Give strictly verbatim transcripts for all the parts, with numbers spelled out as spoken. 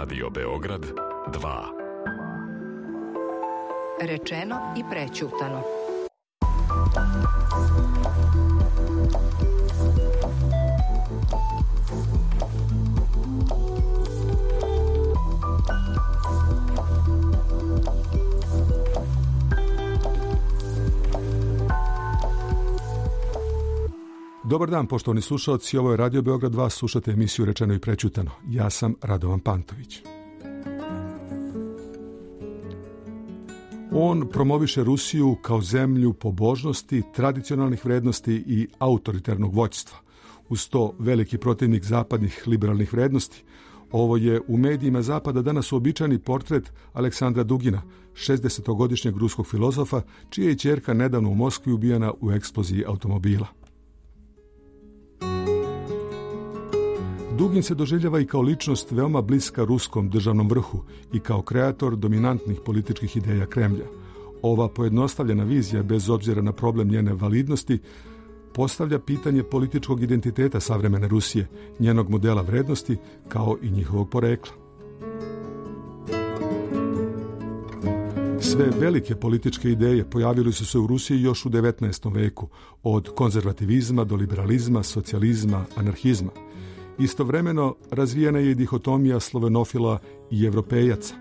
Radio Beograd dva. Rečeno i prećutano. Dobar dan, poštovani slušalci, ovo je Radio Beograd dva, slušate emisiju Rečeno i prećutano. Ja sam Radovan Pantović. On promoviše Rusiju kao zemlju pobožnosti, tradicionalnih vrednosti i autoritarnog vođstva. Uz to veliki protivnik zapadnih liberalnih vrednosti. Ovo je u medijima Zapada danas uobičajeni portret Aleksandra Dugina, šezdesetogodišnjeg ruskog filozofa, čija je ćerka nedavno u Moskvi ubijena u eksploziji automobila. Dugin se doživljava i kao ličnost veoma bliska ruskom državnom vrhu i kao kreator dominantnih političkih ideja Kremlja. Ova pojednostavljena vizija, bez obzira na problem njene validnosti, postavlja pitanje političkog identiteta savremene Rusije, njenog modela vrednosti, kao i njihovog porekla. Sve velike političke ideje pojavile su se u Rusiji još u devetnaestom veku, od konzervativizma do liberalizma, socijalizma, anarhizma. Istovremeno razvijena je i dihotomija slovenofila i evropejaca.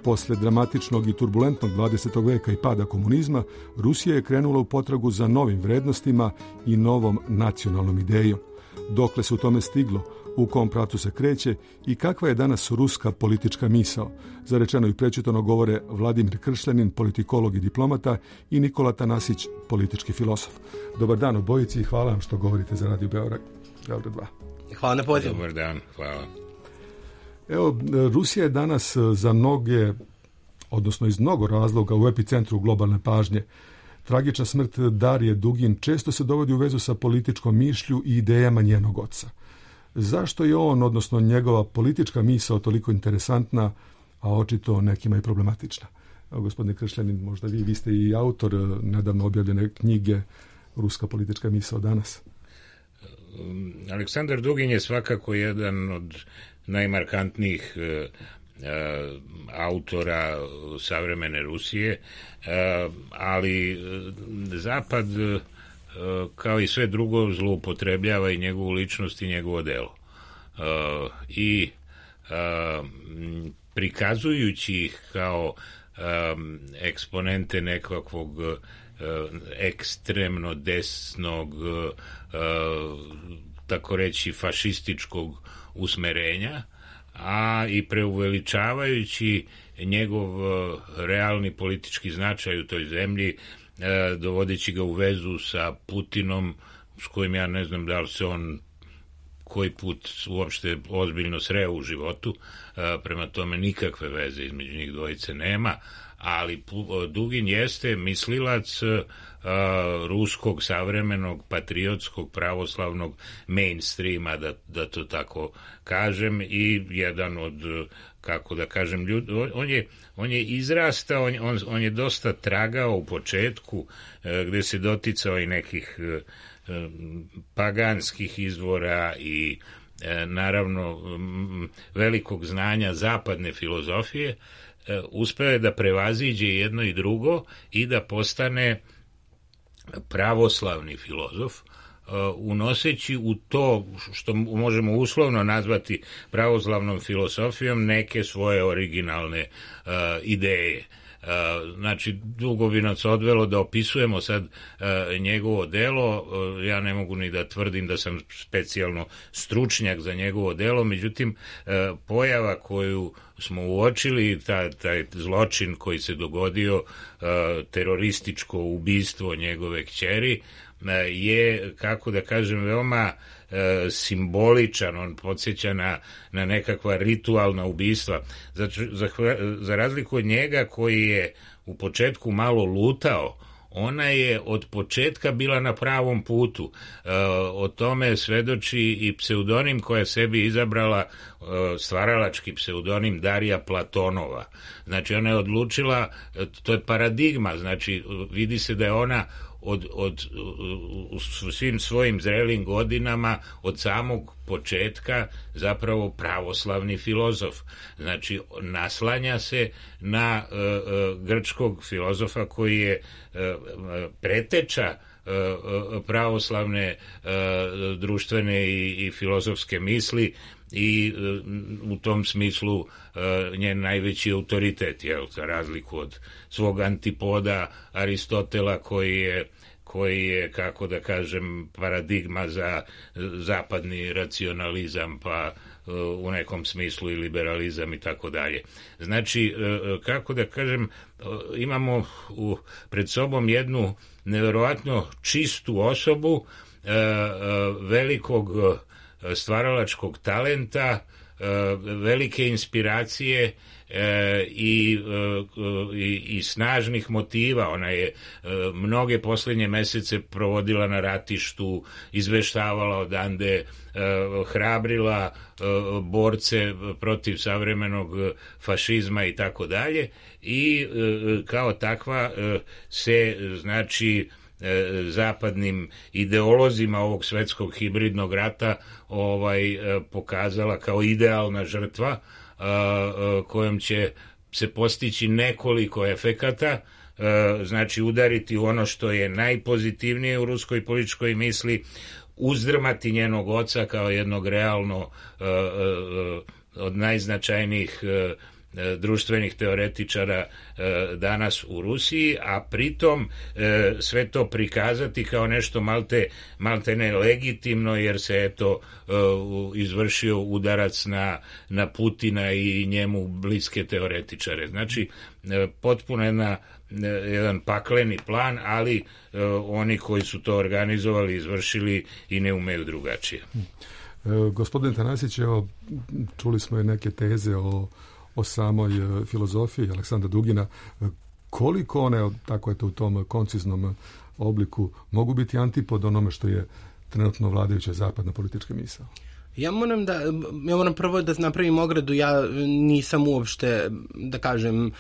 Posle dramatičnog i turbulentnog dvadesetog veka i pada komunizma, Rusija je krenula u potragu za novim vrednostima i novom nacionalnom idejom. Dokle se u tome stiglo, u kom pravcu se kreće i kakva je danas ruska politička misao? Za Rečeno i prećutano govore Vladimir Kršljanin, politikolog i diplomata, i Nikola Tanasić, politički filosof. Dobar dan obojici i hvala vam što govorite za Radio Beograd dva. Hvala na pozivu. Dobar dan, hvala. Evo, Rusija je danas za mnoge, odnosno iz mnogo razloga, u epicentru globalne pažnje. Tragična smrt Darije Dugin često se dovodi u vezu sa političkom mišlju i idejama njenog oca. Zašto je on, odnosno njegova politička misao, toliko interesantna, a očito nekima i problematična? Evo, gospodine Kršljanin, možda vi, vi ste i autor nedavno objavljene knjige Ruska politička misao danas. Aleksandar Dugin je svakako jedan od najmarkantnijih e, e, autora savremene Rusije, e, ali Zapad, e, kao i sve drugo, zloupotrebljava i njegovu ličnost i njegovo delo. E, I e, prikazujući ih kao e, eksponente nekakvog ekstremno desnog, tako reći fašističkog usmerenja, a i preuveličavajući njegov realni politički značaj u toj zemlji, dovodeći ga u vezu sa Putinom, s kojim ja ne znam da li se on koji put uopšte ozbiljno sreo u životu, prema tome nikakve veze između njih dvojice nema, ali Dugin jeste mislilac uh, ruskog savremenog patriotskog pravoslavnog mainstreama, da, da to tako kažem, i jedan od, kako da kažem, ljudi, on je, on je izrastao, on, on, on je dosta tragao u početku, uh, gde se doticao i nekih uh, paganskih izvora i uh, naravno um, velikog znanja zapadne filozofije. Uspeo je da prevaziđe jedno i drugo i da postane pravoslavni filozof, unoseći u to što možemo uslovno nazvati pravoslavnom filozofijom neke svoje originalne uh, ideje. Uh, znači, dugo bi nas odvelo da opisujemo sad uh, njegovo delo. Uh, ja ne mogu ni da tvrdim da sam specijalno stručnjak za njegovo delo, međutim, uh, pojava koju smo uočili, ta, taj zločin koji se dogodio, uh, terorističko ubistvo njegove kćeri, uh, je, kako da kažem, veoma uh, simboličan. On podsjeća na, na nekakva ritualna ubistva. Za, za, za razliku od njega, koji je u početku malo lutao, ona je od početka bila na pravom putu. E, o tome svedoči i pseudonim koja je sebi izabrala, e, stvaralački pseudonim Darija Platonova. Znači, ona je odlučila, to je paradigma, znači vidi se da je ona od, od, u svim svojim zrelim godinama od samog početka zapravo pravoslavni filozof. Znači, naslanja se na uh, uh, grčkog filozofa koji je uh, preteča uh, pravoslavne uh, društvene i, i filozofske misli i uh, u tom smislu uh, njen najveći autoritet, jel, za razliku od svog antipoda Aristotela koji je koji je, kako da kažem, paradigma za zapadni racionalizam, pa u nekom smislu i liberalizam i tako dalje. Znači, kako da kažem, imamo u, pred sobom jednu nevjerovatno čistu osobu, velikog stvaralačkog talenta, velike inspiracije E, i, e, i, i snažnih motiva. Ona je e, mnoge posljednje mesece provodila na ratištu, izveštavala odande, e, hrabrila e, borce protiv savremenog fašizma i tako dalje, i e, kao takva e, se, znači, e, zapadnim ideolozima ovog svetskog hibridnog rata ovaj e, pokazala kao idealna žrtva kojom će se postići nekoliko efekata, znači udariti u ono što je najpozitivnije u ruskoj političkoj misli, uzdrmati njenog oca kao jednog realno od najznačajnijih društvenih teoretičara danas u Rusiji, a pritom sve to prikazati kao nešto malte, malte ne legitimno, jer se eto izvršio udarac na, na Putina i njemu bliske teoretičare. Znači, potpuno jedna, jedan pakleni plan, ali oni koji su to organizovali, izvršili i ne umeju drugačije. Gospodin Tanasić, evo, čuli smo i neke teze o o samoj filozofiji Aleksandra Dugina. Koliko one, tako je to u tom konciznom obliku, mogu biti antipod onome što je trenutno vladajuća zapadna politička misao? Ja moram da, ja moram prvo da napravim ogradu, ja nisam uopšte, da kažem,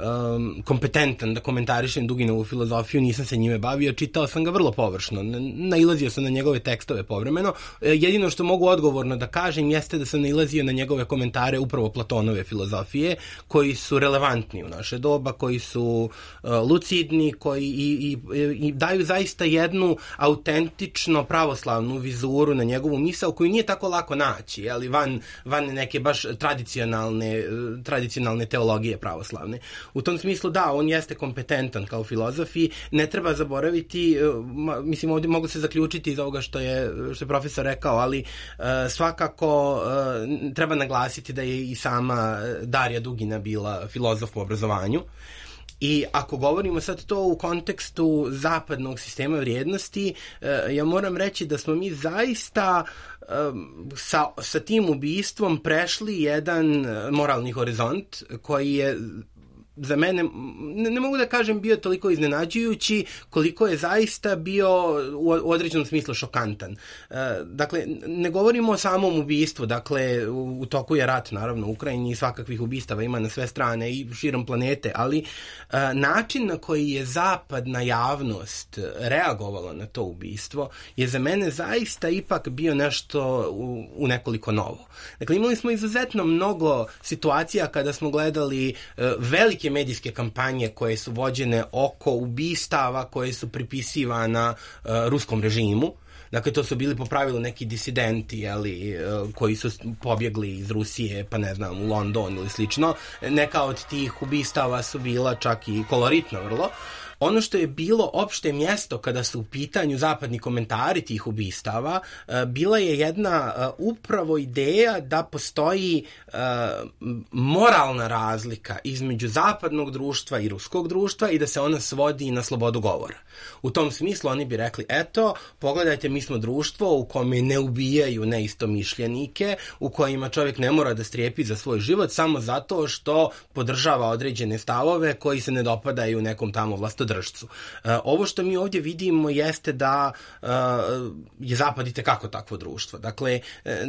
um, kompetentan da komentarišem Duginovu filozofiju, nisam se njime bavio, čitao sam ga vrlo površno, nailazio sam na njegove tekstove povremeno. Jedino što mogu odgovorno da kažem jeste da sam nailazio na njegove komentare upravo Platonove filozofije, koji su relevantni u naše doba, koji su uh, lucidni, koji i, i, i daju zaista jednu autentično pravoslavnu vizuru na njegovu misao, koju nije tako lako naći, ali van, van neke baš tradicionalne, tradicionalne teologije pravoslavne. U tom smislu, da, on jeste kompetentan kao filozof i ne treba zaboraviti, mislim, ovdje mogu se zaključiti iz ovoga što je, što je profesor rekao, ali uh, svakako uh, treba naglasiti da je i sama Darija Dugina bila filozof po obrazovanju. I ako govorimo sad to u kontekstu zapadnog sistema vrijednosti, ja moram reći da smo mi zaista sa, sa tim ubistvom prešli jedan moralni horizont koji je za mene, ne, ne mogu da kažem bio toliko iznenađujući koliko je zaista bio u određenom smislu šokantan. E, dakle, ne govorimo o samom ubistvu, dakle, u, u toku je rat, naravno, u Ukrajini i svakakvih ubistava ima na sve strane i širom planete, ali e, način na koji je zapadna javnost reagovala na to ubistvo je za mene zaista ipak bio nešto u, u nekoliko novo. Dakle, imali smo izuzetno mnogo situacija kada smo gledali e, velike medijske kampanje koje su vođene oko ubistava koje su pripisivana uh, ruskom režimu. Dakle, to su bili po pravilu neki disidenti, jeli, uh, koji su pobjegli iz Rusije, pa ne znam, u London ili slično. Neka od tih ubistava su bila čak i koloritna vrlo. Ono što je bilo opšte mjesto kada su u pitanju zapadni komentari tih ubistava, bila je jedna upravo ideja da postoji moralna razlika između zapadnog društva i ruskog društva i da se ona svodi na slobodu govora. U tom smislu oni bi rekli, eto, pogledajte, mi smo društvo u kome ne ubijaju neistomišljenike, u kojima čovjek ne mora da strijepi za svoj život samo zato što podržava određene stavove koji se ne dopadaju nekom tamo vlastodržavu podršcu. Ovo što mi ovdje vidimo jeste da je Zapad itekako takvo društvo. Dakle,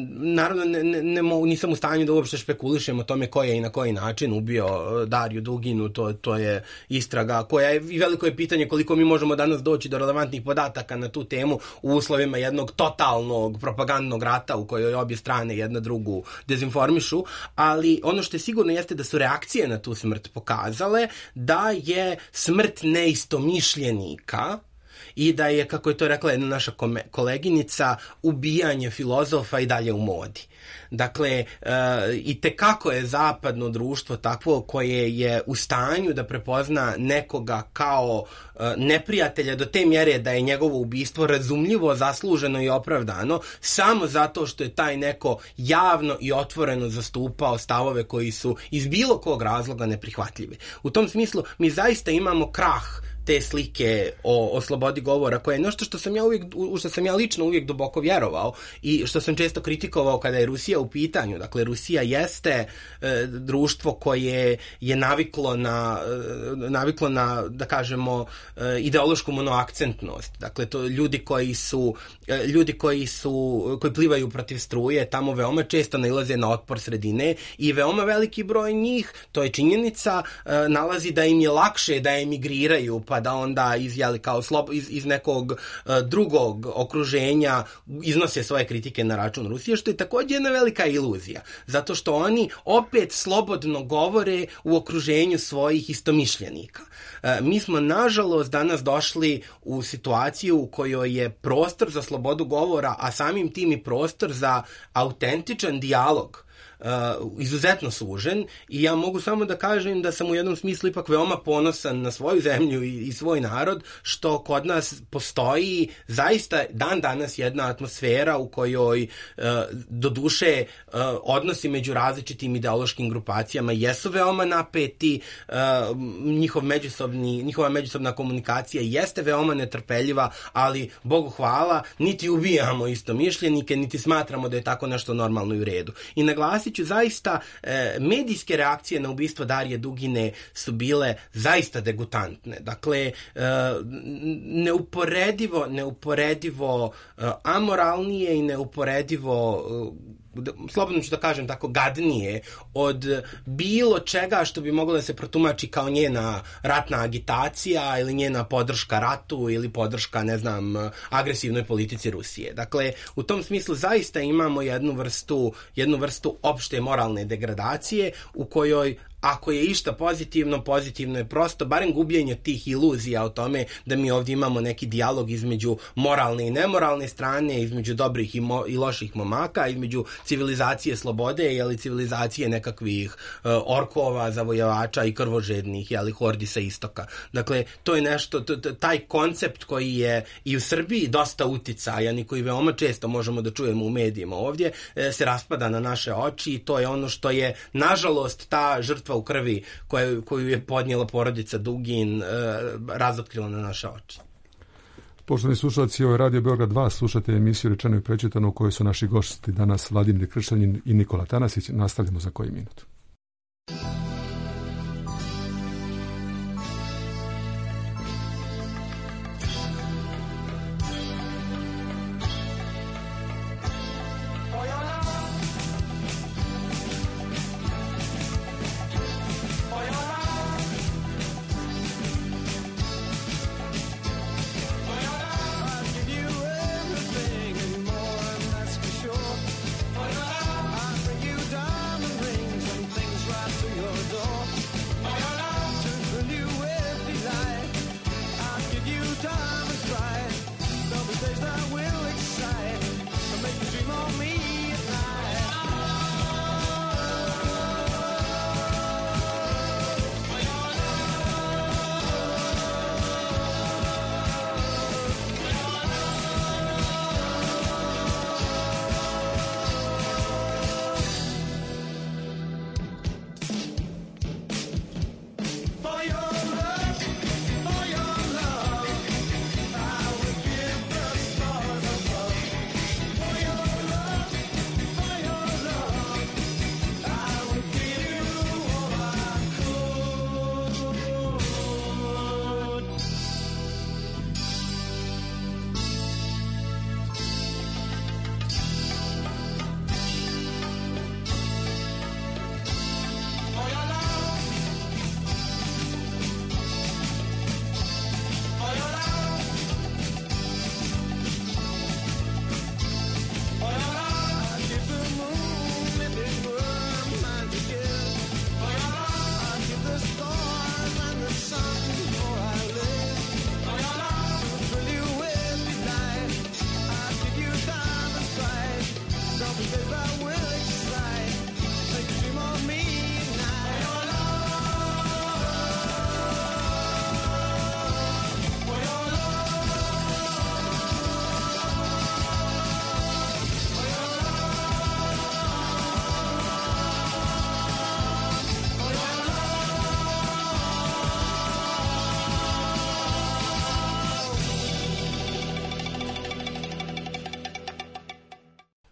naravno ne, ne, ne mogu, nisam u stanju da uopšte špekulišem o tome ko je i na koji način ubio Dariju Duginu, to, to je istraga koja je, i veliko je pitanje koliko mi možemo danas doći do relevantnih podataka na tu temu u uslovima jednog totalnog propagandnog rata u kojoj obje strane jedna drugu dezinformišu, ali ono što je sigurno jeste da su reakcije na tu smrt pokazale da je smrt neistomišljenika i da je, kako je to rekla jedna naša koleginica, ubijanje filozofa i dalje u modi. Dakle, e, i tekako je zapadno društvo takvo koje je u stanju da prepozna nekoga kao e, neprijatelja do te mjere da je njegovo ubistvo razumljivo, zasluženo i opravdano, samo zato što je taj neko javno i otvoreno zastupao stavove koji su iz bilo kog razloga neprihvatljivi. U tom smislu mi zaista imamo krah te slike o, o slobodi govora, koje je nešto što sam ja uvijek, u što sam ja lično uvijek duboko vjerovao i što sam često kritikovao kada je Rusija u pitanju. Dakle, Rusija jeste e, društvo koje je naviklo na, e, naviklo na, da kažemo, e, ideološku monoakcentnost. Dakle, to ljudi koji su, e, ljudi koji su, koji plivaju protiv struje, tamo veoma često nailaze na otpor sredine i veoma veliki broj njih, to je činjenica, e, nalazi da im je lakše da emigriraju, pa da onda iz, jeli, kao slob, iz, iz nekog uh, drugog okruženja iznose svoje kritike na račun Rusije, što je također jedna velika iluzija. Zato što oni opet slobodno govore u okruženju svojih istomišljenika. Uh, mi smo, nažalost, danas došli u situaciju u kojoj je prostor za slobodu govora, a samim tim i prostor za autentičan dijalog Uh, izuzetno sužen i ja mogu samo da kažem da sam u jednom smislu ipak veoma ponosan na svoju zemlju i, i svoj narod, što kod nas postoji zaista dan danas jedna atmosfera u kojoj uh, do duše uh, odnosi među različitim ideološkim grupacijama jesu veoma napeti, uh, njihov međusobni, njihova međusobna komunikacija jeste veoma netrpeljiva, ali Bogu hvala, niti ubijamo istomišljenike, niti smatramo da je tako nešto normalno i u redu. I naglasit ću zaista, e, medijske reakcije na ubistvo Darije Dugine su bile zaista degutantne. Dakle, e, neuporedivo, neuporedivo e, amoralnije i neuporedivo e, slobodno ću da kažem tako, gadnije od bilo čega što bi moglo da se protumači kao njena ratna agitacija ili njena podrška ratu ili podrška, ne znam, agresivnoj politici Rusije. Dakle, u tom smislu zaista imamo jednu vrstu, jednu vrstu opšte moralne degradacije u kojoj, ako je išta pozitivno, pozitivno je prosto barem gubljenje tih iluzija o tome da mi ovdje imamo neki dijalog između moralne i nemoralne strane, između dobrih i, mo- i loših momaka, između civilizacije slobode ili civilizacije nekakvih uh, orkova, zavojevača i krvožednih, jeli, hordi sa istoka. Dakle, to je nešto, t- t- taj koncept koji je i u Srbiji dosta uticajan i koji veoma često možemo da čujemo u medijima ovdje, e, se raspada na naše oči i to je ono što je, nažalost, ta žrtva u krvi koju, koju je podnijela porodica Dugin e, razotkrila na naše oči. Poštovani slušalci, ovo je Radio Beograd dva, slušate emisiju Rečeno i prečitano u kojoj su naši gosti danas Vladimir Kršanin i Nikola Tanasić. Nastavljamo za koji minut.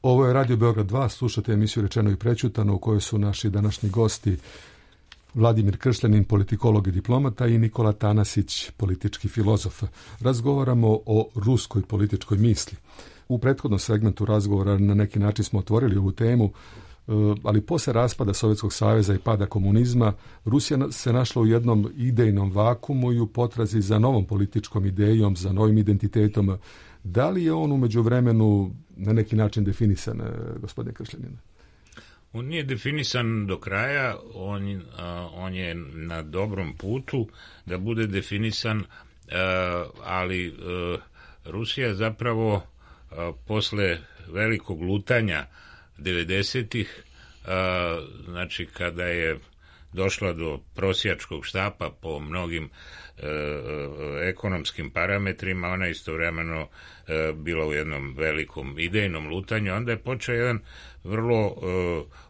Ovo je Radio Beograd dva, slušate emisiju Rečeno i prećutano u kojoj su naši današnji gosti Vladimir Kršljanin, politikolog i diplomata, i Nikola Tanasić, politički filozof. Razgovaramo o ruskoj političkoj misli. U prethodnom segmentu razgovora na neki način smo otvorili ovu temu, ali posle raspada Sovjetskog saveza i pada komunizma, Rusija se našla u jednom idejnom vakumu i u potrazi za novom političkom idejom, za novim identitetom. Da li je on u međuvremenu na neki način definisan, gospodine Kršljanin? On nije definisan do kraja, on, a, on je na dobrom putu da bude definisan, a, ali a, Rusija zapravo a, posle velikog lutanja devedesetih, znači kada je došla do prosjačkog štapa po mnogim e, ekonomskim parametrima, ona istovremeno e, bila u jednom velikom idejnom lutanju, onda je počeo jedan vrlo e,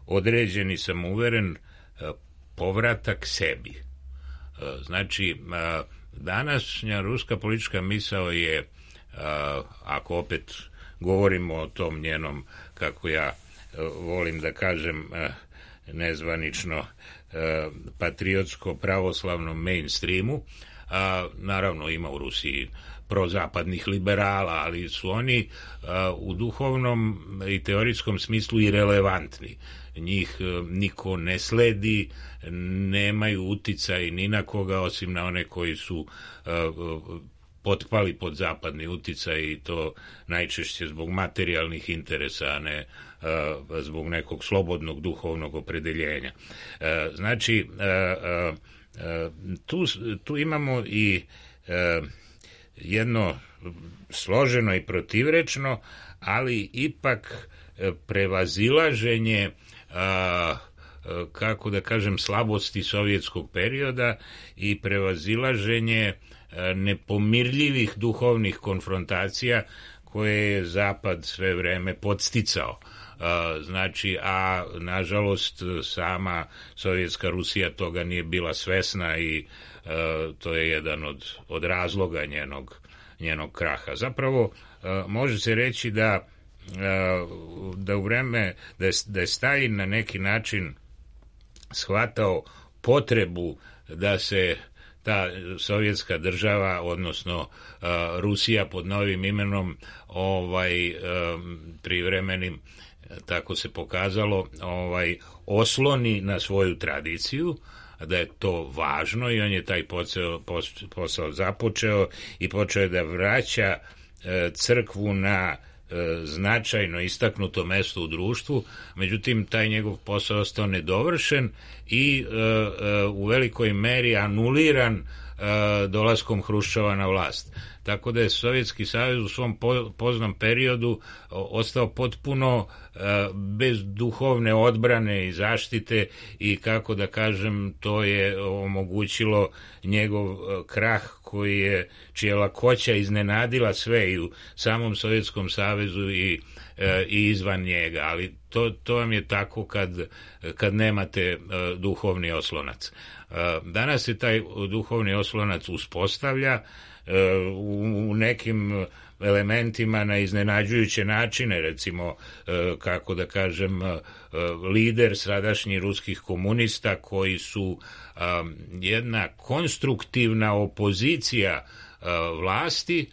određen i samouveren e, povratak sebi. E, znači, e, današnja ruska politička misao je, e, ako opet govorimo o tom njenom, kako ja e, volim da kažem, e, nezvanično patriotsko-pravoslavnom mainstreamu, a naravno ima u Rusiji prozapadnih liberala, ali su oni a, u duhovnom i teorijskom smislu i relevantni. Njih a, niko ne sledi, nemaju uticaj ni na koga osim na one koji su a, potpali pod zapadni uticaj, i to najčešće zbog materijalnih interesa, a ne uh, zbog nekog slobodnog duhovnog opredeljenja. Uh, znači, uh, uh, tu, tu imamo i uh, jedno složeno i protivrečno, ali ipak prevazilaženje uh, kako da kažem slabosti sovjetskog perioda i prevazilaženje nepomirljivih duhovnih konfrontacija koje je Zapad sve vreme podsticao. Znači, a nažalost sama sovjetska Rusija toga nije bila svesna i to je jedan od, od razloga njenog, njenog kraha. Zapravo može se reći da, da u vreme, da je, da je Stalin na neki način shvatao potrebu da se ta sovjetska država, odnosno uh, Rusija pod novim imenom, ovaj um, privremenim, tako se pokazalo, ovaj osloni na svoju tradiciju, da je to važno, i on je taj posao, posao započeo i počeo je da vraća uh, crkvu na značajno istaknuto mesto u društvu. Međutim, taj njegov posao ostao nedovršen i e, e, u velikoj meri anuliran e, dolaskom Hruščova na vlast. Tako da je Sovjetski savez u svom po, poznom periodu ostao potpuno e, bez duhovne odbrane i zaštite, i kako da kažem, to je omogućilo njegov krah koji je, čija lakoća iznenadila sve i u samom Sovjetskom savezu i, e, i izvan njega, ali to, to vam je tako kad, kad nemate e, duhovni oslonac. E, danas se taj duhovni oslonac uspostavlja u, u nekim elementima na iznenađujuće načine, recimo, kako da kažem, lider sadašnjih ruskih komunista, koji su jedna konstruktivna opozicija vlasti,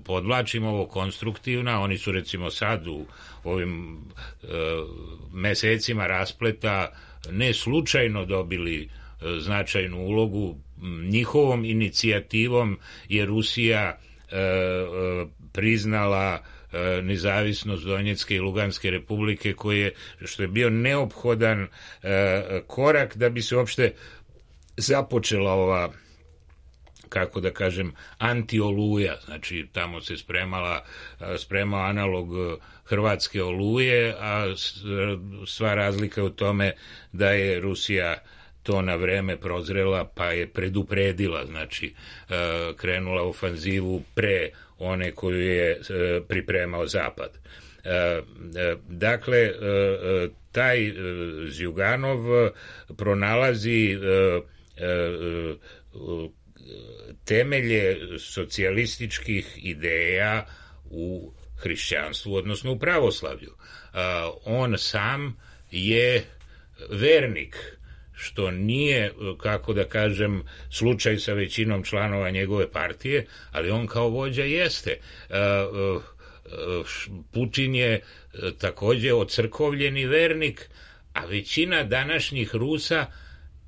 podvlačimo ovo konstruktivna, oni su recimo sad u ovim mesecima raspleta ne slučajno dobili značajnu ulogu. Njihovom inicijativom je Rusija e, e, priznala e, nezavisnost Donjecke i Luganske republike, koje, što je bio neophodan e, korak da bi se uopšte započela ova, kako da kažem, anti-oluja. Znači, tamo se spremala, spremao analog hrvatske oluje, a sva razlika je u tome da je Rusija to na vreme prozrela, pa je predupredila, znači krenula u ofanzivu pre one koju je pripremao Zapad. Dakle, taj Zjuganov pronalazi temelje socijalističkih ideja u hrišćanstvu, odnosno u pravoslavlju. On sam je vernik, što nije, kako da kažem, slučaj sa većinom članova njegove partije, ali on kao vođa jeste. Putin je takođe ocrkovljeni vernik, a većina današnjih Rusa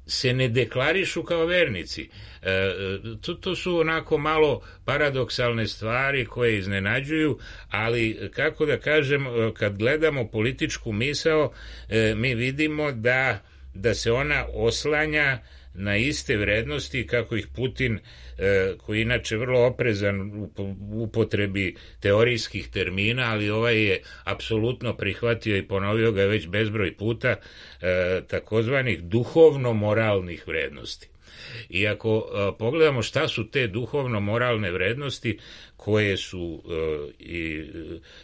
se ne deklarišu kao vernici. E, to, to su onako malo paradoksalne stvari koje iznenađuju, ali kako da kažem, kad gledamo političku misao, e, mi vidimo da, da se ona oslanja na iste vrednosti kako ih Putin, e, koji inače vrlo oprezan u upotrebi teorijskih termina, ali ovaj je apsolutno prihvatio i ponovio ga već bezbroj puta, e, takozvanih duhovno-moralnih vrednosti. I ako e, pogledamo šta su te duhovno-moralne vrednosti koje su e, i,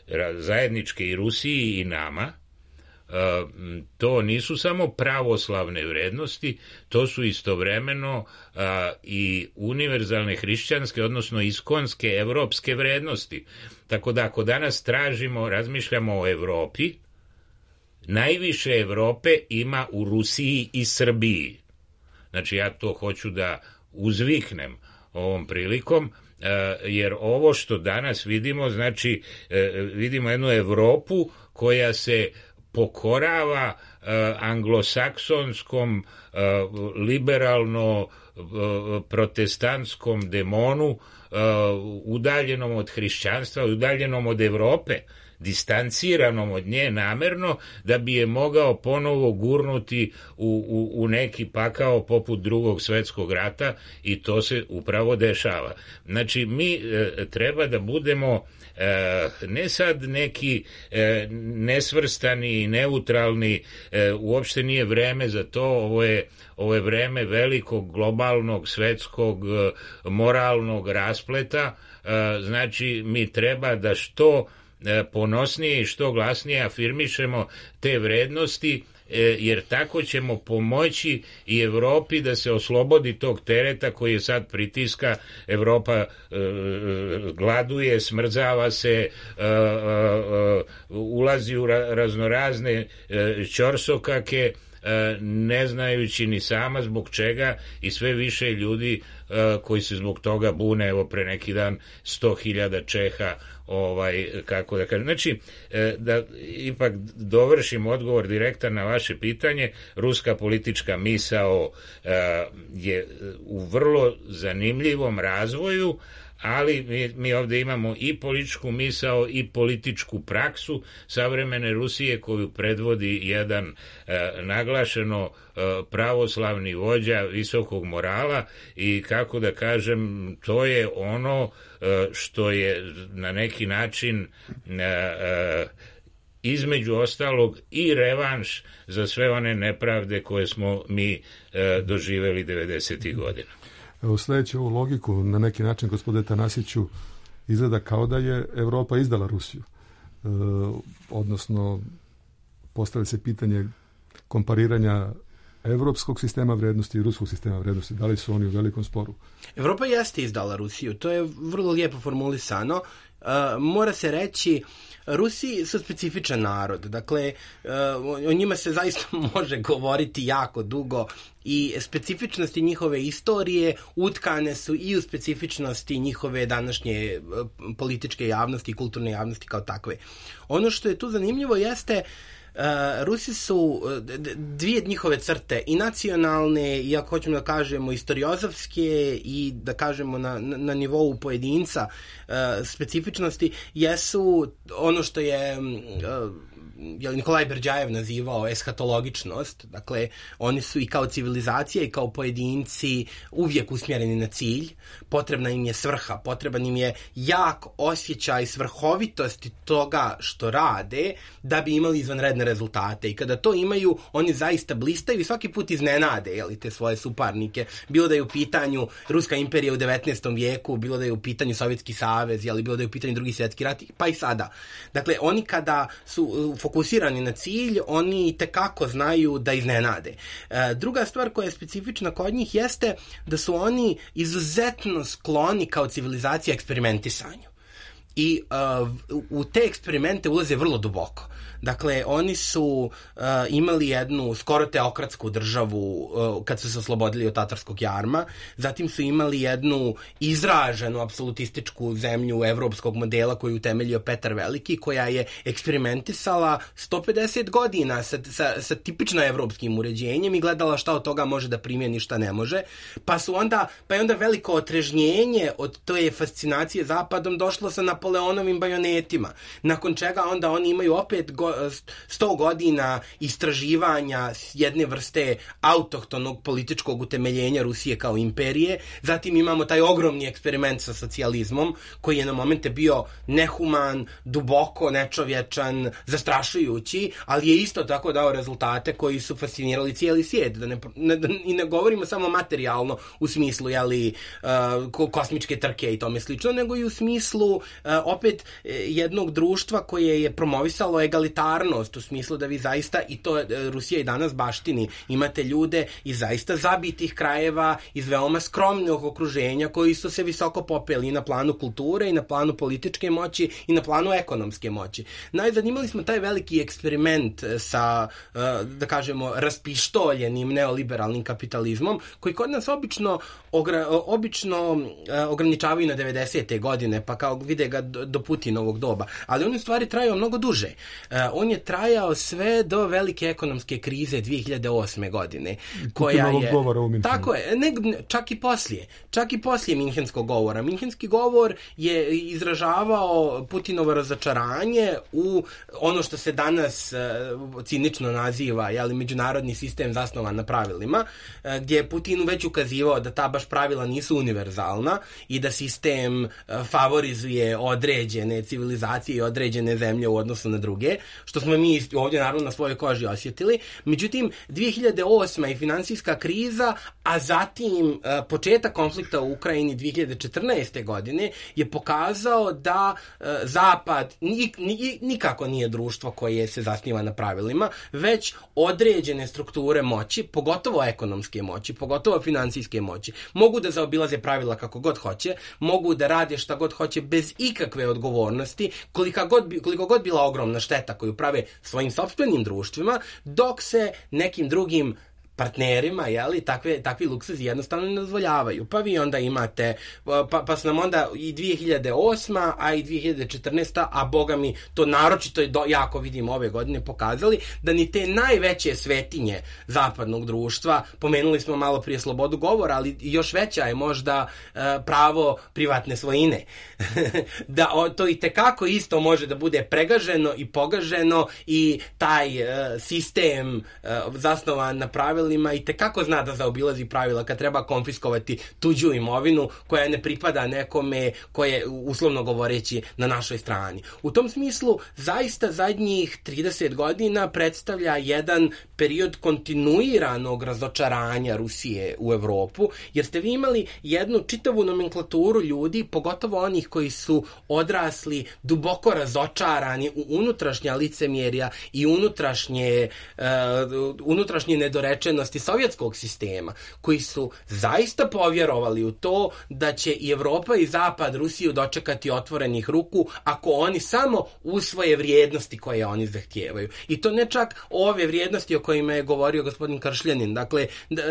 e, zajedničke i Rusiji i nama, to nisu samo pravoslavne vrednosti, to su istovremeno a, i univerzalne hrišćanske, odnosno iskonske evropske vrednosti. Tako da ako danas tražimo, razmišljamo o Evropi, najviše Evrope ima u Rusiji i Srbiji. Znači ja to hoću da uzviknem ovom prilikom, jer ovo što danas vidimo, znači vidimo jednu Evropu koja se pokorava uh, anglosaksonskom uh, liberalno uh, protestantskom demonu, uh, udaljenom od hrišćanstva, udaljenom od Evrope, distanciranom od nje namerno, da bi je mogao ponovo gurnuti u, u, u neki pakao poput Drugog svetskog rata, i to se upravo dešava. Znači mi e, treba da budemo e, ne sad neki e, nesvrstani i neutralni, e, uopšte nije vreme za to, ovo je, ovo je vreme velikog globalnog svetskog e, moralnog raspleta, e, znači mi treba da što ponosnije i što glasnije afirmišemo te vrednosti, jer tako ćemo pomoći i Evropi da se oslobodi tog tereta koji je sad pritiska. Evropa e, gladuje, smrzava se, e, e, ulazi u ra, raznorazne e, ćorsokake, e, ne znajući ni sama zbog čega, i sve više ljudi e, koji se zbog toga bune. Evo pre neki dan sto hiljada Čeha, ovaj, kako da kažem. Znači, da ipak dovršim odgovor direktan na vaše pitanje, ruska politička misao je u vrlo zanimljivom razvoju, ali mi, mi ovde imamo i političku misao i političku praksu savremene Rusije, koju predvodi jedan e, naglašeno e, pravoslavni vođa visokog morala, i kako da kažem, to je ono e, što je na neki način e, e, između ostalog i revanš za sve one nepravde koje smo mi e, doživeli devedesetih godina. Evo, sledeći ovu logiku, na neki način, gospodine Tanasiću, izgleda kao da je Evropa izdala Rusiju. E, odnosno, postavlja se pitanje kompariranja evropskog sistema vrednosti i ruskog sistema vrednosti. Da li su oni u velikom sporu? Evropa jeste izdala Rusiju, to je vrlo lijepo formulisano. E, mora se reći, Rusi su specifičan narod, dakle, o njima se zaista može govoriti jako dugo, i specifičnosti njihove istorije utkane su i u specifičnosti njihove današnje političke javnosti i kulturne javnosti kao takve. Ono što je tu zanimljivo jeste, Uh, Rusi su dvije njihove crte, i nacionalne, i ako hoćemo da kažemo istoriozavske, i da kažemo na, na nivou pojedinca uh, specifičnosti, jesu ono što je uh, je Nikolaj Berdjajev nazivao eshatologičnost. Dakle, oni su i kao civilizacija i kao pojedinci uvijek usmjereni na cilj, potrebna im je svrha, potreban im je jak osjećaj svrhovitosti toga što rade da bi imali izvanredne rezultate, i kada to imaju, oni zaista blistaju i svaki put iznenade, jeli, te svoje suparnike, bilo da je u pitanju Ruska imperija u devetnaestom vijeku, bilo da je u pitanju Sovjetski savez, jeli, bilo da je u pitanju Drugi svjetski rat, pa i sada. Dakle, oni kada su fokusirani na cilj, oni tekako znaju da iznenade. E, druga stvar koja je specifična kod njih jeste da su oni izuzetno skloni kao civilizacija eksperimentisanju. i uh, u te eksperimente ulaze vrlo duboko. Dakle, oni su uh, imali jednu skoro teokratsku državu uh, kad su se oslobodili od tatarskog jarma, zatim su imali jednu izraženu apsolutističku zemlju evropskog modela koju utemeljio Petar Veliki, koja je eksperimentisala sto pedeset godina sa, sa, sa tipično evropskim uređenjem i gledala šta od toga može da primjeni, šta ne može, pa su onda, pa je onda veliko otrežnjenje od te fascinacije zapadom došlo sa Napoleonovim bajonetima, nakon čega onda oni imaju opet go, sto godina istraživanja jedne vrste autohtonog političkog utemeljenja Rusije kao imperije. Zatim imamo taj ogromni eksperiment sa socijalizmom koji je na momente bio nehuman, duboko nečovječan, zastrašujući, ali je isto tako dao rezultate koji su fascinirali cijeli svijet. Da ne, ne, I ne govorimo samo materijalno u smislu jeli, uh, kosmičke trke i tome slično, nego i u smislu uh, opet jednog društva koje je promovisalo egalitarnost, u smislu da vi zaista, i to Rusija i danas baštini, imate ljude iz zaista zabitih krajeva, iz veoma skromnog okruženja koji su se visoko popeli i na planu kulture i na planu političke moći i na planu ekonomske moći. Najzanimali smo taj veliki eksperiment sa, da kažemo, raspištoljenim neoliberalnim kapitalizmom koji kod nas obično, ogra, obično ograničavaju na devedesete godine, pa kao vide ga do Putinovog doba. Ali on u stvari trajao mnogo duže. On je trajao sve do velike ekonomske krize dvije hiljade osme godine. Koja je, govora u tako je, ne, čak i poslije. Čak i poslije Minhenskog govora. Minhenski govor je izražavao Putinovo razočaranje u ono što se danas uh, cinično naziva jeli, međunarodni sistem zasnovan na pravilima, uh, gdje je Putin već ukazivao da ta baš pravila nisu univerzalna i da sistem uh, favorizuje određene civilizacije i određene zemlje u odnosu na druge, što smo mi ovdje naravno na svojoj koži osjetili. Međutim, dvije hiljade osma i finansijska kriza, a zatim uh, početak konflikta u Ukrajini dvije hiljade četrnaeste godine je pokazao da uh, Zapad nik, nik, nikako nije društvo koje se zasniva na pravilima, već određene strukture moći, pogotovo ekonomske moći, pogotovo finansijske moći, mogu da zaobilaze pravila kako god hoće, mogu da rade šta god hoće bez ikakve odgovornosti, koliko god, koliko god bila ogromna šteta koju prave svojim sopstvenim društvima, dok se nekim drugim partnerima, jeli, takve, takvi luksuzi jednostavno ne dozvoljavaju. Pa vi onda imate, pa, pa su nam onda i dvije hiljade osma, a i dvije hiljade četrnaesta, a boga mi to naročito do, jako vidimo ove godine pokazali, da ni te najveće svetinje zapadnog društva, pomenuli smo malo prije slobodu govora, ali još veća je možda uh, pravo privatne svojine. Da o, to i tekako isto može da bude pregaženo i pogaženo i taj uh, sistem uh, zasnovan na pravilima i tekako zna da zaobilazi pravila kad treba konfiskovati tuđu imovinu koja ne pripada nekome koje uslovno govoreći na našoj strani. U tom smislu zaista zadnjih trideset godina predstavlja jedan period kontinuiranog razočaranja Rusije u Evropu, jer ste vi imali jednu čitavu nomenklaturu ljudi, pogotovo onih koji su odrasli duboko razočarani u unutrašnja licemjerja i unutrašnje, uh, unutrašnje nedorečenosti sovjetskog sistema, koji su zaista povjerovali u to da će i Evropa i Zapad Rusiju dočekati otvorenih ruku ako oni samo usvoje vrijednosti koje oni zahtijevaju. I to ne čak ove vrijednosti o kojima je govorio gospodin Kršljanin. Dakle,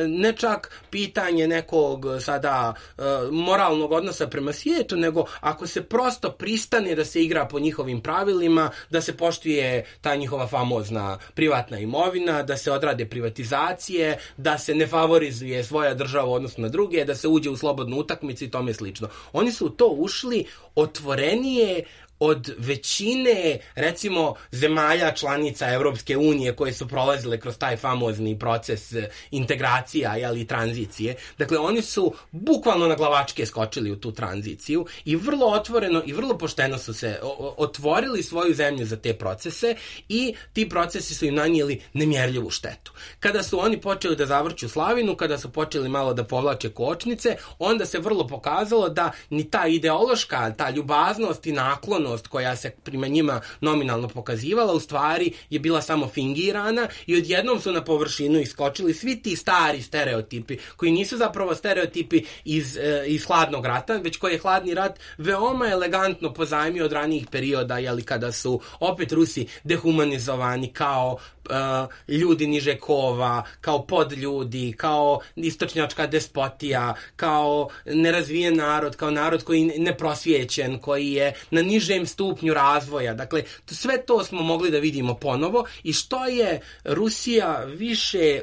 ne čak pitanje nekog sada uh, moralnog odnosa prema svijetu, nego ako se prosto pristane da se igra po njihovim pravilima, da se poštuje ta njihova famozna privatna imovina, da se odrade privatizacije, da se ne favorizuje svoja država odnosno na druge, da se uđe u slobodnu utakmicu i tome slično. Oni su u to ušli otvorenije od većine, recimo, zemalja članica Evropske unije koje su prolazile kroz taj famozni proces integracija, jeli, tranzicije. Dakle, oni su bukvalno na glavačke skočili u tu tranziciju i vrlo otvoreno i vrlo pošteno su se otvorili svoju zemlju za te procese i ti procesi su im nanijeli nemjerljivu štetu. Kada su oni počeli da zavrću slavinu, kada su počeli malo da povlače kočnice, onda se vrlo pokazalo da ni ta ideološka, ta ljubaznost i naklonost humanost koja se prema njima nominalno pokazivala, u stvari je bila samo fingirana i odjednom su na površinu iskočili svi ti stari stereotipi, koji nisu zapravo stereotipi iz, iz hladnog rata, već koji je hladni rat veoma elegantno pozajmio od ranijih perioda, jeli, kada su opet Rusi dehumanizovani kao uh, ljudi niže kova, kao podljudi, kao istočnjačka despotija, kao nerazvijen narod, kao narod koji neprosvjećen, koji je na nižem stupnju razvoja. Dakle, sve to smo mogli da vidimo ponovo i što je Rusija više,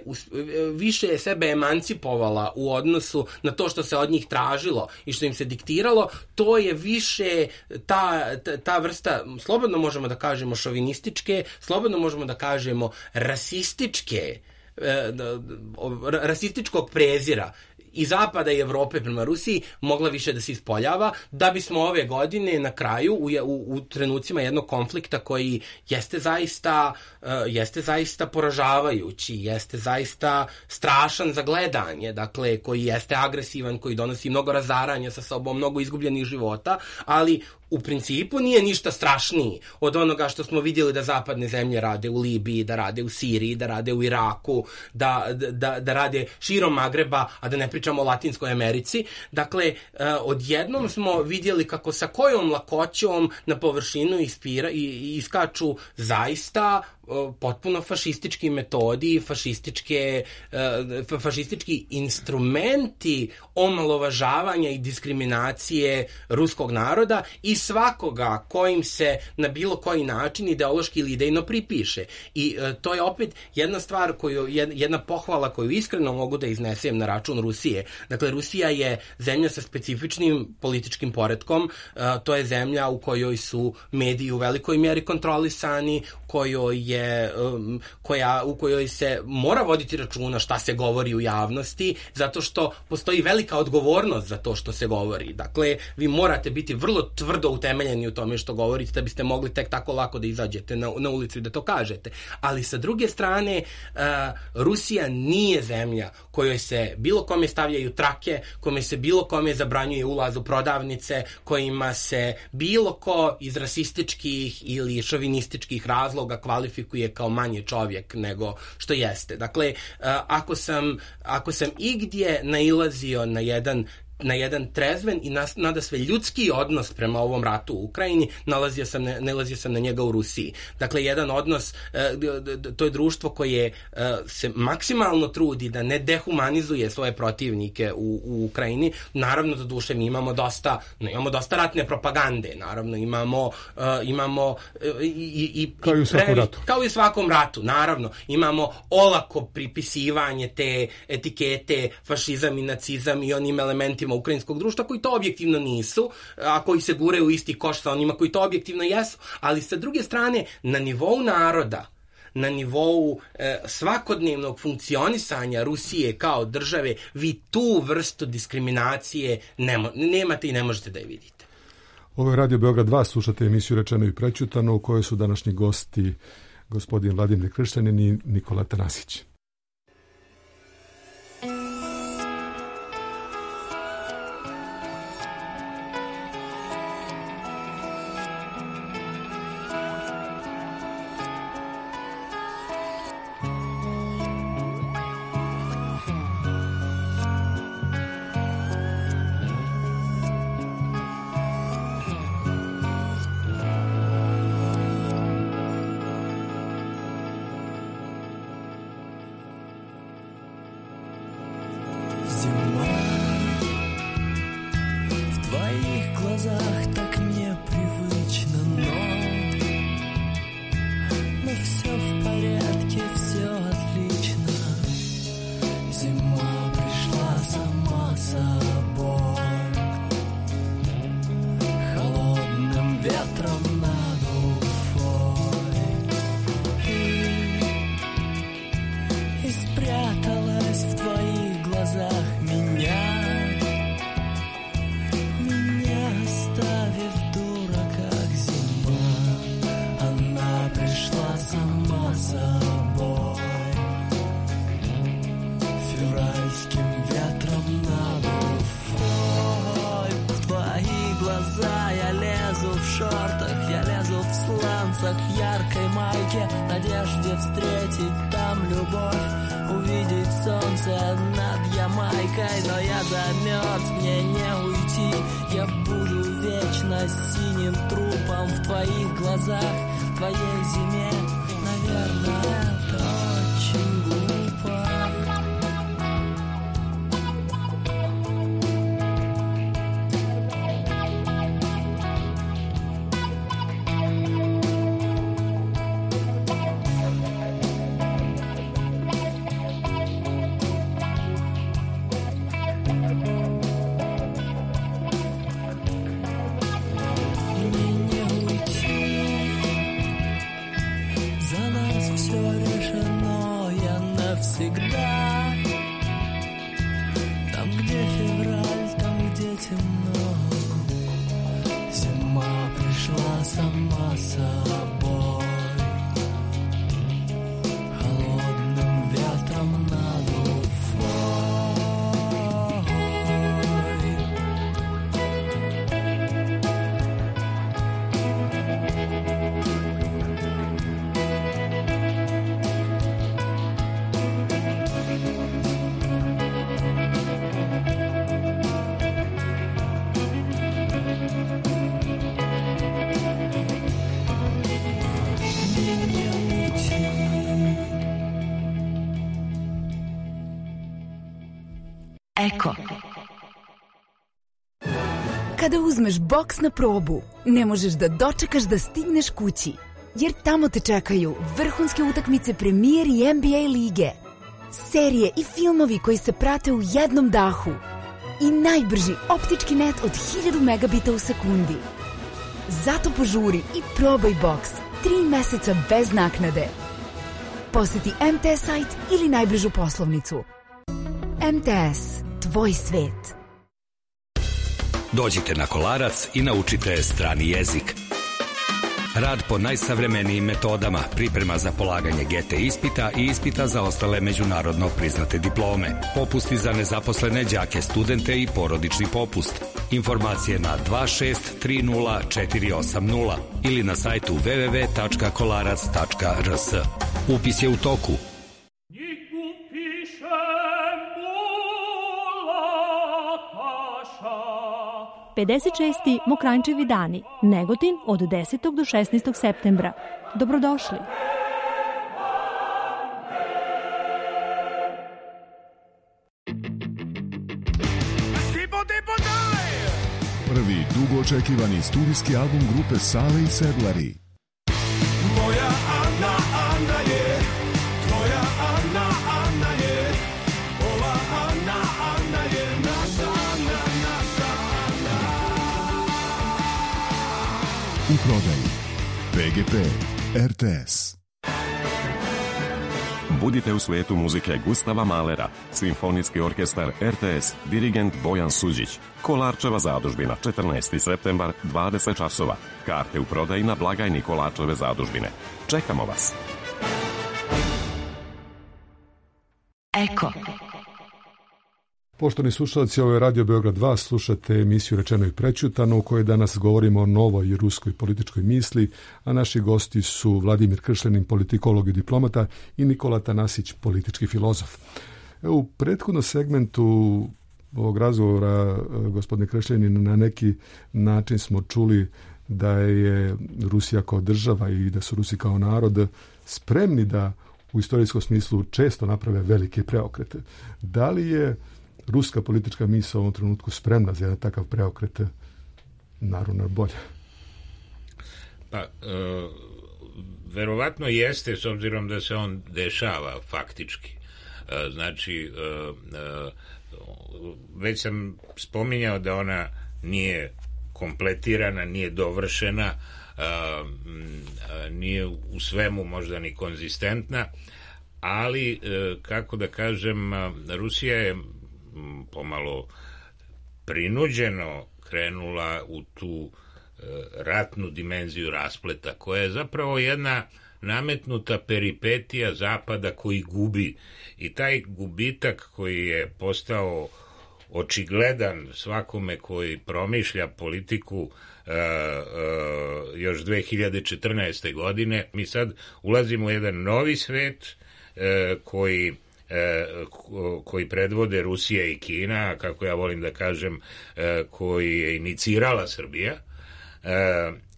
više sebe emancipovala u odnosu na to što se od njih tražilo i što im se diktiralo, to je više ta, ta, ta vrsta, slobodno možemo da kažemo šovinističke, slobodno možemo da kažemo rasističke, rasističkog prezira i Zapada i Evrope prema Rusiji mogla više da se ispoljava, da bismo ove godine na kraju u, u, u trenucima jednog konflikta koji jeste zaista, uh, jeste zaista poražavajući, jeste zaista strašan za gledanje, dakle koji jeste agresivan, koji donosi mnogo razaranja sa sobom, mnogo izgubljenih života, ali u principu nije ništa strašniji od onoga što smo vidjeli da zapadne zemlje rade u Libiji, da rade u Siriji, da rade u Iraku, da, da, da rade širom Magreba, a da ne pričamo o Latinskoj Americi. Dakle, odjednom smo vidjeli kako sa kojom lakoćom na površinu ispira, i, iskaču zaista potpuno fašistički metodi, fašističke, fašistički instrumenti omalovažavanja i diskriminacije ruskog naroda i svakoga kojim se na bilo koji način ideološki ili idejno pripiše. I to je opet jedna stvar, koju, jedna pohvala koju iskreno mogu da iznesem na račun Rusije. Dakle, Rusija je zemlja sa specifičnim političkim poretkom, to je zemlja u kojoj su mediji u velikoj mjeri kontrolisani, kojoj je Je, um, koja, u kojoj se mora voditi računa šta se govori u javnosti, zato što postoji velika odgovornost za to što se govori. Dakle, vi morate biti vrlo tvrdo utemeljeni u tome što govorite da biste mogli tek tako lako da izađete na, na ulicu i da to kažete. Ali sa druge strane, uh, Rusija nije zemlja kojoj se bilo kome stavljaju trake, kome se bilo kome zabranjuje ulaz u prodavnice, kojima se bilo ko iz rasističkih ili šovinističkih razloga kvalifikuje kao manje čovjek nego što jeste. Dakle, ako sam, ako sam igdje nailazio na jedan na jedan trezven i nas, nadasve ljudski odnos prema ovom ratu u Ukrajini, nalazio sam, nalazio sam na njega u Rusiji. Dakle, jedan odnos, to je društvo koje se maksimalno trudi da ne dehumanizuje svoje protivnike u, u Ukrajini. Naravno, do duše, mi imamo dosta, imamo dosta ratne propagande, naravno, imamo, imamo i, i, kao i u svakom ratu. Kao i u svakom ratu, naravno. Imamo olako pripisivanje te etikete fašizam i nacizam i onim elementima ukrajinskog društva koji to objektivno nisu, a koji se guraju u isti koš sa onima koji to objektivno jesu, ali sa druge strane na nivou naroda, na nivou e, svakodnevnog funkcionisanja Rusije kao države, vi tu vrstu diskriminacije nemo, nemate i ne možete da je vidite. Ovo je Radio Beograd dva, slušate emisiju Rečeno i prećutano u kojoj su današnji gosti gospodin Vladimir Kršćanin i Nikola Tanasić. Меня, меня оставил. джинсах, яркой майке, надежде встретить там любовь, увидеть солнце над Ямайкой. Но я замерз, мне не уйти, я буду вечно синим трупом в твоих глазах, в твоей зиме. Наверное, это очень глупо. Eko. Kada uzmeš boks na probu, ne možeš da dočekaš da stigneš kući, jer tamo te čekaju vrhunske utakmice Premier i N B A lige, serije i filmovi koji se prate u jednom dahu i najbrži optički net od hiljadu megabita u sekundi. Zato požuri i probaj boks tri meseca bez naknade. Poseti M T S sajt ili najbližu poslovnicu. M T S, tvoj svet. Dođite na Kolarac i naučite strani jezik. Rad po najsavremenijim metodama, priprema za polaganje G T ispita i ispita za ostale međunarodno priznate diplome. Popusti za nezaposlene đake, studente i porodični popust. Informacije na dva šest tri nula četiri osam nula ili na sajtu w w w tačka kolarac tačka r s. Upis je u toku. pedeset šesti Mokranjčevi dani, Negotin od desetog do šesnaestog septembra. Dobrodošli. Prvi dugo očekivani studijski album grupe Sale i Sedlari. Moja Ana, Ana je, tvoja Ana, Ana je, ova Ana, Ana je naša Ana, naša Ana. U prodaji P G P, R T S. Budite u svetu muzike Gustava Mahlera, Simfonijski orkestar R T S, dirigent Bojan Suđić. Kolarčeva zadužbina, četrnaesti septembar, dvadeset časova. Karte u prodaji na blagajni Kolarčeve zadužbine. Čekamo vas. Eko. Poštovani slušalci, ovo je Radio Beograd dva, slušate emisiju Rečeno i prećutano u kojoj danas govorimo o novoj ruskoj političkoj misli, a naši gosti su Vladimir Kršljanin, politikolog i diplomata, i Nikola Tanasić, politički filozof. U prethodnom segmentu ovog razgovora, gospodine Kršljanin, na neki način smo čuli da je Rusija kao država i da su Rusi kao narod spremni da u istorijskom smislu često naprave velike preokrete. Da li je ruska politička misao u ovom trenutku spremna za jedan takav preokret naravno bolje? Pa, e, verovatno jeste, s obzirom da se on dešava faktički. E, znači, e, e, već sam spominjao da ona nije kompletirana, nije dovršena, a, a, nije u svemu možda ni konzistentna, ali, e, kako da kažem, Rusija je pomalo prinuđeno krenula u tu e, ratnu dimenziju raspleta, koja je zapravo jedna nametnuta peripetija Zapada koji gubi. I taj gubitak koji je postao očigledan svakome koji promišlja politiku uh, uh, još dve hiljade četrnaeste. godine. Mi sad ulazimo u jedan novi svet uh, koji koji predvode Rusija i Kina, kako ja volim da kažem, koji je inicirala Srbija,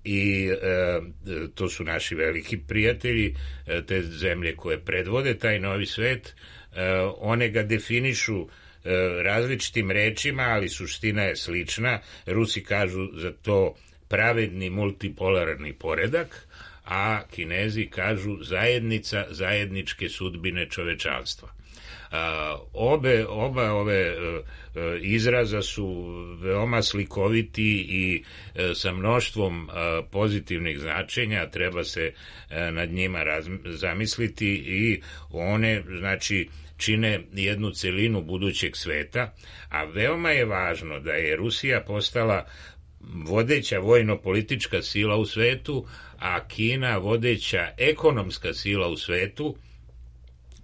i to su naši veliki prijatelji, te zemlje koje predvode taj novi svet. One ga definišu različitim rečima, ali suština je slična. Rusi kažu za to pravedni multipolarni poredak, a Kinezi kažu zajednica zajedničke sudbine čovečanstva. A, obe, oba ove uh, izraza su veoma slikoviti i uh, sa mnoštvom uh, pozitivnih značenja, treba se uh, nad njima raz, zamisliti i one, znači, čine jednu celinu budućeg sveta, a veoma je važno da je Rusija postala vodeća vojno-politička sila u svetu, a Kina vodeća ekonomska sila u svetu,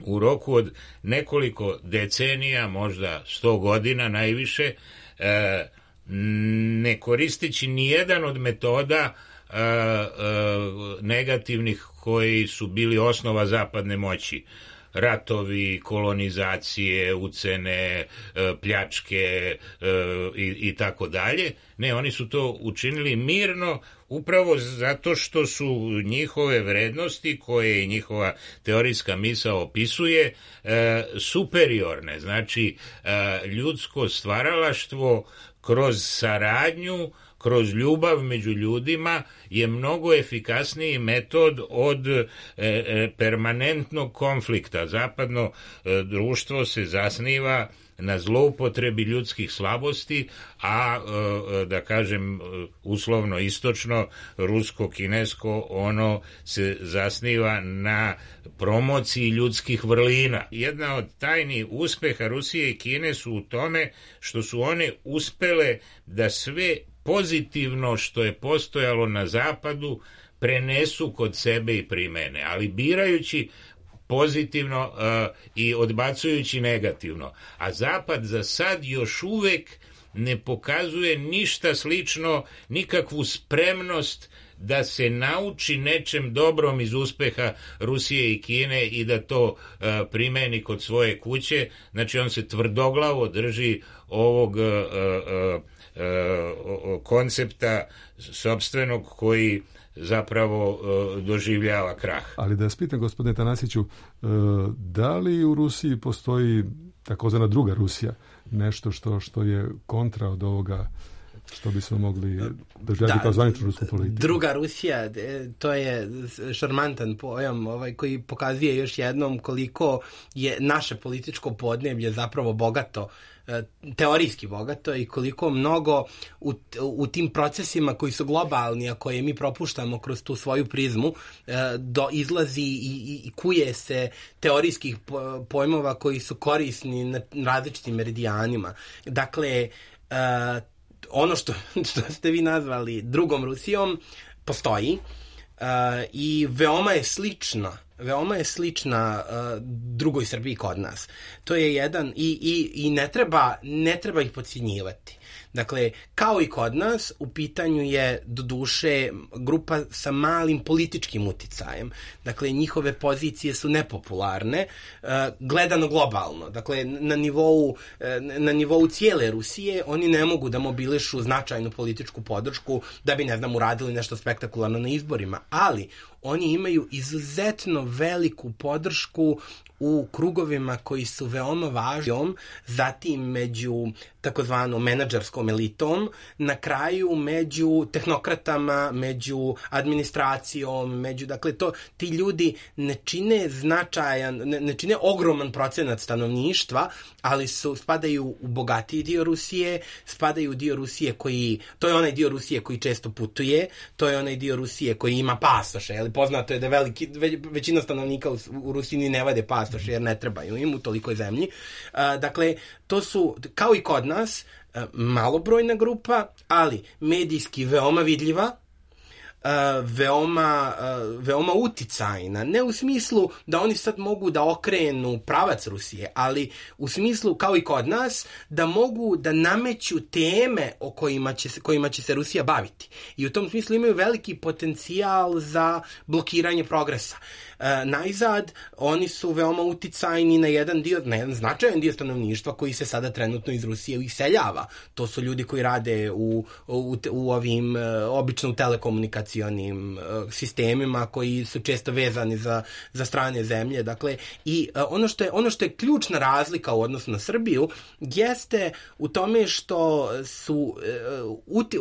u roku od nekoliko decenija, možda sto godina najviše, ne koristeći nijedan od metoda negativnih koji su bili osnova zapadne moći. Ratovi, kolonizacije, ucene, pljačke i, i tako dalje. Ne, oni su to učinili mirno, upravo zato što su njihove vrednosti, koje njihova teorijska misao opisuje, superiorne. Znači, ljudsko stvaralaštvo kroz saradnju, kroz ljubav među ljudima je mnogo efikasniji metod od e, e, permanentnog konflikta. Zapadno e, društvo se zasniva na zloupotrebi ljudskih slabosti, a e, da kažem uslovno istočno, rusko-kinesko, ono se zasniva na promociji ljudskih vrlina. Jedna od tajnih uspeha Rusije i Kine su u tome što su one uspele da sve pozitivno što je postojalo na zapadu prenesu kod sebe i primene, ali birajući pozitivno uh, i odbacujući negativno. A zapad za sad još uvek ne pokazuje ništa slično, nikakvu spremnost da se nauči nečem dobrom iz uspeha Rusije i Kine i da to uh, primeni kod svoje kuće. Znači on se tvrdoglavo drži ovog uh, uh, koncepta sopstvenog koji zapravo doživljava krah. Ali da vas pitam, gospodine Tanasiću, da li u Rusiji postoji takozvana druga Rusija, nešto što, što je kontra od ovoga što bismo mogli doživjeti kao zvaničnu rusku politiku? Druga Rusija, to je šarmantan pojam ovaj, koji pokazuje još jednom koliko je naše političko podneblje zapravo bogato, teorijski bogato, i koliko mnogo u, u tim procesima koji su globalni, a koje mi propuštamo kroz tu svoju prizmu, do izlazi i, i, i kuje se teorijskih pojmova koji su korisni na različitim meridijanima. Dakle, ono što, što ste vi nazvali drugom Rusijom postoji i veoma je slična veoma je slična uh, drugoj Srbiji kod nas. To je jedan i, i, i ne treba ne treba ih podcjenjivati. Dakle, kao i kod nas, u pitanju je doduše grupa sa malim političkim uticajem. Dakle, njihove pozicije su nepopularne, uh, gledano globalno. Dakle, na nivou, uh, na nivou cijele Rusije oni ne mogu da mobilišu značajnu političku podršku da bi, ne znam, uradili nešto spektakularno na izborima. Ali oni imaju izuzetno veliku podršku u krugovima koji su veoma važni, zatim među takozvanom menadžerskom elitom, na kraju među tehnokratama, među administracijom, među, dakle, to, ti ljudi ne čine značajan, ne, ne čine ogroman procenat stanovništva, ali su, spadaju u bogatiji dio Rusije, spadaju u dio Rusije koji, to je onaj dio Rusije koji često putuje, to je onaj dio Rusije koji ima pasoše, ali poznato je da veliki, ve, većina stanovnika u, u Rusiji ne vade pasoše jer ne trebaju im u tolikoj zemlji. Uh, dakle, to su, kao i kod nas, uh, malobrojna grupa, ali medijski veoma vidljiva, uh, veoma, uh, veoma uticajna. Ne u smislu da oni sad mogu da okrenu pravac Rusije, ali u smislu, kao i kod nas, da mogu da nameću teme o kojima će se, kojima će se Rusija baviti. I u tom smislu imaju veliki potencijal za blokiranje progresa. E, najzad, oni su veoma uticajni na jedan dio, na jedan značajan dio stanovništva koji se sada trenutno iz Rusije iseljava. To su ljudi koji rade u, u, u ovim, obično u telekomunikacionim sistemima koji su često vezani za, za strane zemlje. Dakle, i ono što je, ono što je ključna razlika u odnosu na Srbiju jeste u tome što su,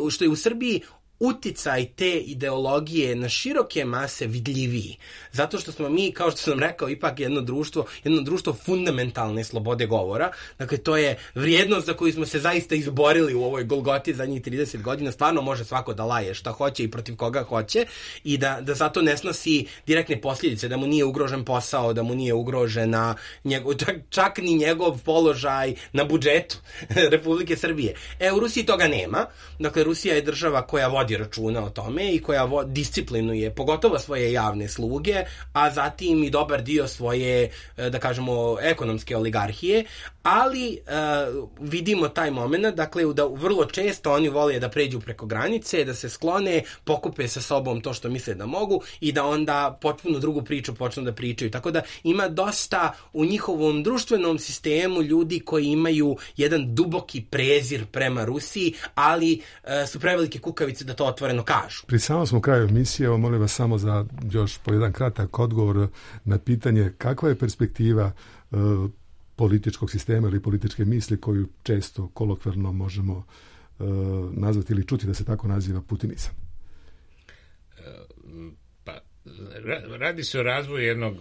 što je u Srbiji uticaj te ideologije na široke mase vidljiviji. Zato što smo mi, kao što sam rekao, ipak jedno društvo, jedno društvo fundamentalne slobode govora. Dakle, to je vrijednost za koju smo se zaista izborili u ovoj Golgoti zadnjih trideset godina. Stvarno može svako da laje šta hoće i protiv koga hoće i da, da zato ne snosi direktne posljedice, da mu nije ugrožen posao, da mu nije ugrožena njegov, čak, čak ni njegov položaj na budžetu Republike Srbije. E, u Rusiji toga nema. Dakle, Rusija je država koja vodi računa o tome i koja vo, disciplinuje pogotovo svoje javne sluge, a zatim i dobar dio svoje, da kažemo, ekonomske oligarhije, ali uh, vidimo taj moment, dakle, da vrlo često oni vole da pređu preko granice, da se sklone, pokupe sa sobom to što misle da mogu i da onda potpuno drugu priču počnu da pričaju. Tako da ima dosta u njihovom društvenom sistemu ljudi koji imaju jedan duboki prezir prema Rusiji, ali uh, su prevelike kukavice da to otvoreno kažu. Pri samom smo kraju emisije, evo molim vas samo za još po jedan kratak odgovor na pitanje kakva je perspektiva uh, političkog sistema ili političke misli koju često kolokvijalno možemo uh, nazvati ili čuti da se tako naziva putinizam. Pa, radi se o razvoju jednog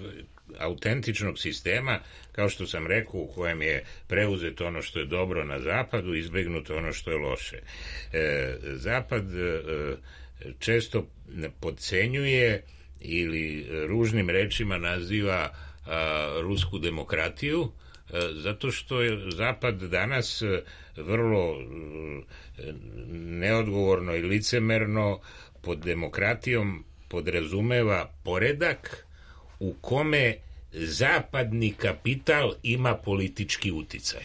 autentičnog sistema, kao što sam rekao, u kojem je preuzeto ono što je dobro na zapadu, izbegnuto ono što je loše. E, Zapad e, često podcenjuje ili ružnim rečima naziva a, rusku demokratiju, zato što je Zapad danas vrlo neodgovorno i licemerno pod demokratijom podrazumeva poredak u kome zapadni kapital ima politički uticaj.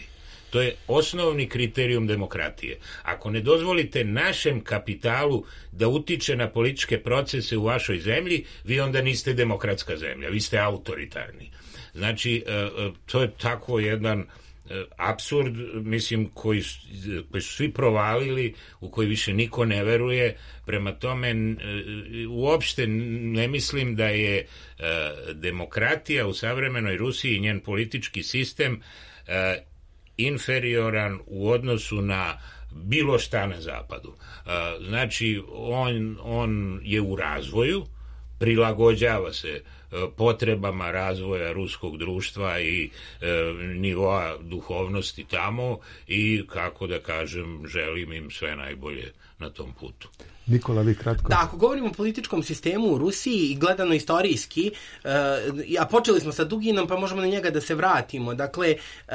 To je osnovni kriterijum demokratije. Ako ne dozvolite našem kapitalu da utiče na političke procese u vašoj zemlji, vi onda niste demokratska zemlja, vi ste autoritarni. Znači, to je tako jedan apsurd, mislim, koji, koji su svi provalili, u koji više niko ne veruje. Prema tome, uopšte ne mislim da je demokratija u savremenoj Rusiji i njen politički sistem inferioran u odnosu na bilo šta na zapadu. Znači, on, on je u razvoju, prilagođava se potrebama razvoja ruskog društva i e, nivoa duhovnosti tamo i, kako da kažem, želim im sve najbolje na tom putu. Nikola, vi kratko. Da, ako govorimo o političkom sistemu u Rusiji i gledano istorijski, uh, a počeli smo sa Duginom, pa možemo na njega da se vratimo. Dakle, uh,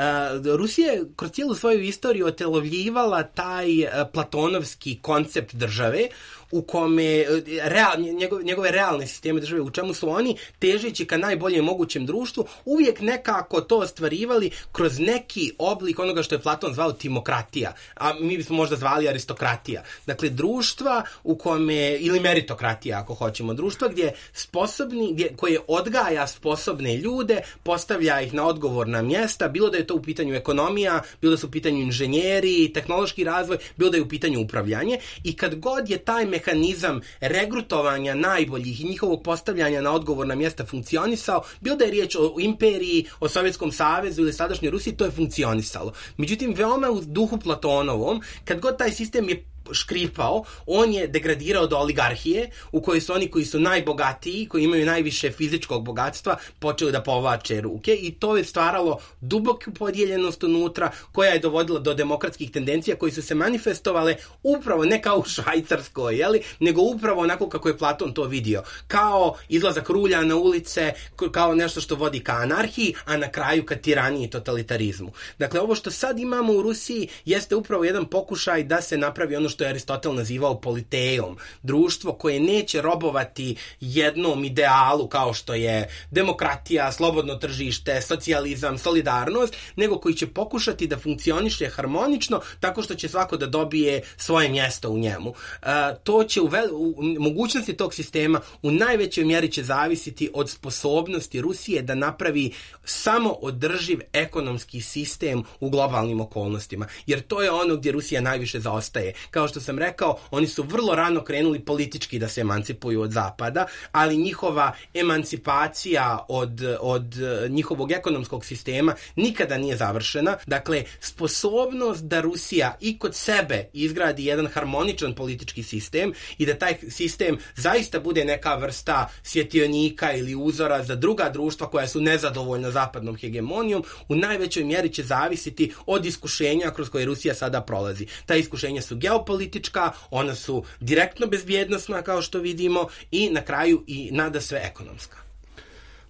Rusija je kroz cijelu svoju istoriju otelovljivala taj uh, platonovski koncept države, u kome real, njegove, njegove realne sisteme države, u čemu su oni, težeći ka najboljem mogućem društvu, uvijek nekako to ostvarivali kroz neki oblik onoga što je Platon zvao timokratija, a mi bismo možda zvali aristokratija. Dakle, društva u kome, ili meritokratija ako hoćemo, društva gdje sposobni, gdje, koje odgaja sposobne ljude, postavlja ih na odgovorna mjesta, bilo da je to u pitanju ekonomija, bilo da su u pitanju inženjeri, tehnološki razvoj, bilo da je u pitanju upravljanje, i kad god je taj mehanizam regrutovanja najboljih i njihovog postavljanja na odgovorna mjesta funkcionisao, bilo da je riječ o imperiji, o Sovjetskom savezu ili sadašnjoj Rusiji, to je funkcionisalo. Međutim, veoma u duhu Platonovom, kad god taj sistem je škripao, on je degradirao do oligarhije, u kojoj su oni koji su najbogatiji, koji imaju najviše fizičkog bogatstva, počeli da povlače ruke, i to je stvaralo duboku podijeljenost unutra, koja je dovodila do demokratskih tendencija koji su se manifestovale upravo ne kao u Švajcarskoj, jeli, nego upravo onako kako je Platon to vidio, kao izlazak rulja na ulice, kao nešto što vodi ka anarhiji, a na kraju ka tiraniji i totalitarizmu. Dakle, ovo što sad imamo u Rusiji jeste upravo jedan pokušaj da se napravi ono što je Aristotel nazivao politeom, društvo koje neće robovati jednom idealu kao što je demokratija, slobodno tržište, socijalizam, solidarnost, nego koji će pokušati da funkcioniše harmonično tako što će svako da dobije svoje mjesto u njemu. Uh, to će u, vel, u mogućnosti tog sistema u najvećoj mjeri će zavisiti od sposobnosti Rusije da napravi samo održiv ekonomski sistem u globalnim okolnostima. Jer to je ono gdje Rusija najviše zaostaje. Kao što sam rekao, oni su vrlo rano krenuli politički da se emancipuju od Zapada, ali njihova emancipacija od, od njihovog ekonomskog sistema nikada nije završena. Dakle, sposobnost da Rusija i kod sebe izgradi jedan harmoničan politički sistem i da taj sistem zaista bude neka vrsta svjetionika ili uzora za druga društva koja su nezadovoljna zapadnom hegemonijom, u najvećoj mjeri će zavisiti od iskušenja kroz koje Rusija sada prolazi. Ta iskušenja su geopolitička, ona su direktno bezbjednosna kao što vidimo i na kraju i nada sve ekonomska.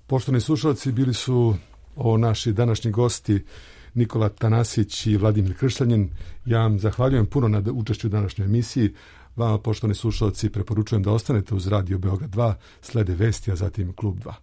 Poštovani slušalci, bili su ovo naši današnji gosti Nikola Tanasić i Vladimir Kršljanin. Ja vam zahvaljujem puno na učešću u današnjoj emisiji. Vama, poštovani slušalci, preporučujem da ostanete uz Radio Beograd dva, slede vesti, a zatim Klub dva.